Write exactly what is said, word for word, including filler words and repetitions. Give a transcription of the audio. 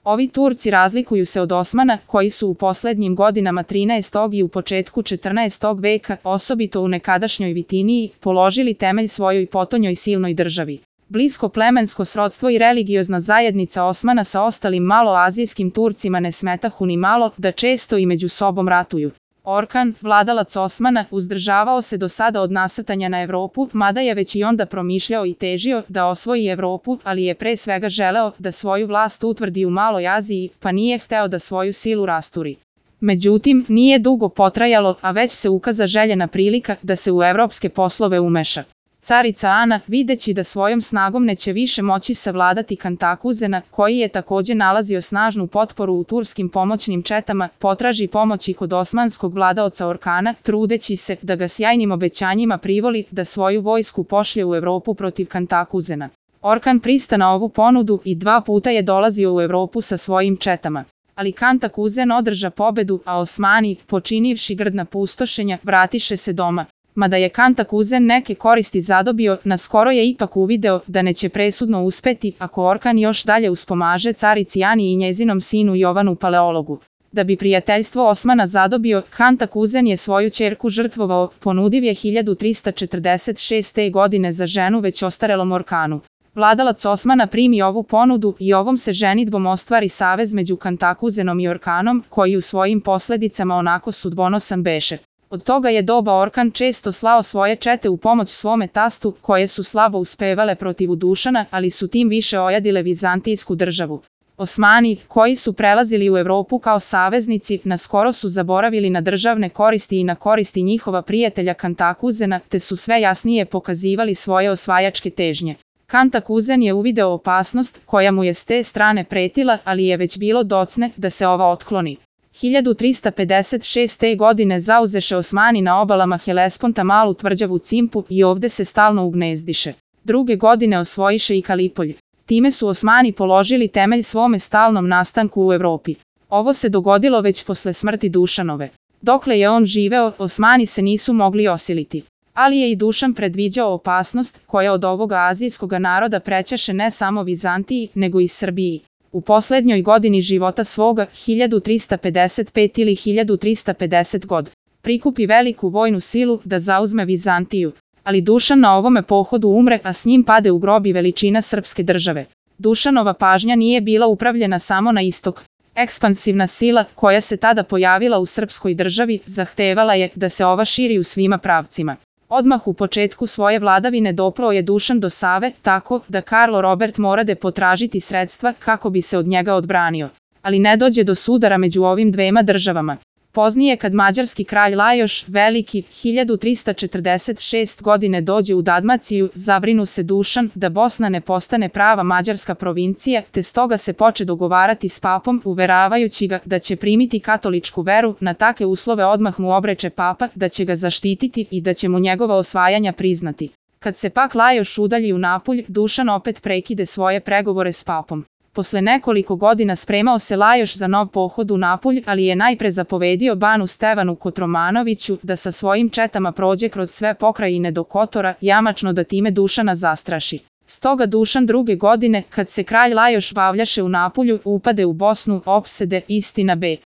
Ovi Turci razlikuju se od Osmana, koji su u poslednjim godinama trinaestog i u početku četrnaestog veka, osobito u nekadašnjoj Vitiniji, položili temelj svojoj potonjoj silnoj državi. Blisko plemensko srodstvo i religiozna zajednica Osmana sa ostalim maloazijskim Turcima ne smetahu ni malo da često i među sobom ratuju. Orkan, vladalac Osmana, uzdržavao se do sada od nasrtanja na Evropu, mada je već i onda promišljao i težio da osvoji Evropu, ali je pre svega želeo da svoju vlast utvrdi u Maloj Aziji, pa nije hteo da svoju silu rasturi. Međutim, nije dugo potrajalo, a već se ukaza željena prilika da se u evropske poslove umeša. Carica Ana, videći da svojom snagom neće više moći savladati Kantakuzena, koji je takođe nalazio snažnu potporu u turskim pomoćnim četama, potraži pomoći kod osmanskog vladaoca Orkana, trudeći se da ga sjajnim obećanjima privoli da svoju vojsku pošlje u Evropu protiv Kantakuzena. Orkan prista na ovu ponudu i dva puta je dolazio u Evropu sa svojim četama. Ali Kantakuzen održa pobedu, a Osmani, počinivši grdna pustošenja, vratiše se doma. Mada je Kantakuzen neke koristi zadobio, naskoro je ipak uvideo da neće presudno uspeti ako Orkan još dalje uspomaže carici Ani i njezinom sinu Jovanu Paleologu. Da bi prijateljstvo Osmana zadobio, Kantakuzen je svoju ćerku žrtvovao, ponudiv je hiljadu trista četrdeset šeste. godine za ženu već ostarelom Orkanu. Vladalac Osmana primi ovu ponudu i ovom se ženidbom ostvari savez među Kantakuzenom i Orkanom, koji u svojim posledicama onako sudbonosan beše. Od toga je doba Orkan često slao svoje čete u pomoć svome tastu, koje su slabo uspevale protiv Dušana, ali su tim više ojadile vizantijsku državu. Osmani, koji su prelazili u Evropu kao saveznici, naskoro su zaboravili na državne koristi i na koristi njihova prijatelja Kantakuzena, te su sve jasnije pokazivali svoje osvajačke težnje. Kantakuzen je uvideo opasnost koja mu je s te strane pretila, ali je već bilo docne da se ova otkloni. hiljadu trista pedeset šeste. godine zauzeše Osmani na obalama Helesponta malu tvrđavu Cimpu i ovde se stalno ugnezdiše. Druge godine osvojiše i Kalipolj. Time su Osmani položili temelj svome stalnom nastanku u Evropi. Ovo se dogodilo već posle smrti Dušanove. Dokle je on živeo, Osmani se nisu mogli osiliti. Ali je i Dušan predviđao opasnost koja od ovoga azijskoga naroda prećaše ne samo Vizantiji, nego i Srbiji. U poslednjoj godini života svoga, hiljadu trista pedeset pete. ili hiljadu trista pedeset. god, prikupi veliku vojnu silu da zauzme Vizantiju. Ali Dušan na ovome pohodu umre, a s njim pade u grob i veličina srpske države. Dušanova pažnja nije bila upravljena samo na istok. Ekspansivna sila, koja se tada pojavila u srpskoj državi, zahtevala je da se ova širi u svima pravcima. Odmah u početku svoje vladavine doprao je Dušan do Save, tako da Karlo Robert morade potražiti sredstva kako bi se od njega odbranio. Ali ne dođe do sudara među ovim dvema državama. Poznije kad mađarski kralj Lajoš Veliki hiljadu trista četrdeset šeste. godine dođe u Dalmaciju, zabrinu se Dušan da Bosna ne postane prava mađarska provincija, te stoga se poče dogovarati s papom, uveravajući ga da će primiti katoličku veru, na take uslove odmah mu obreče papa da će ga zaštititi i da će mu njegova osvajanja priznati. Kad se pak Lajoš udalji u Napulj, Dušan opet prekide svoje pregovore s papom. Posle nekoliko godina spremao se Lajoš za nov pohod u Napulj, ali je najpre zapovedio banu Stevanu Kotromanoviću da sa svojim četama prođe kroz sve pokrajine do Kotora, jamačno da time Dušana zastraši. Stoga Dušan druge godine, kad se kralj Lajoš bavljaše u Napulju, upade u Bosnu, opsede, istina B.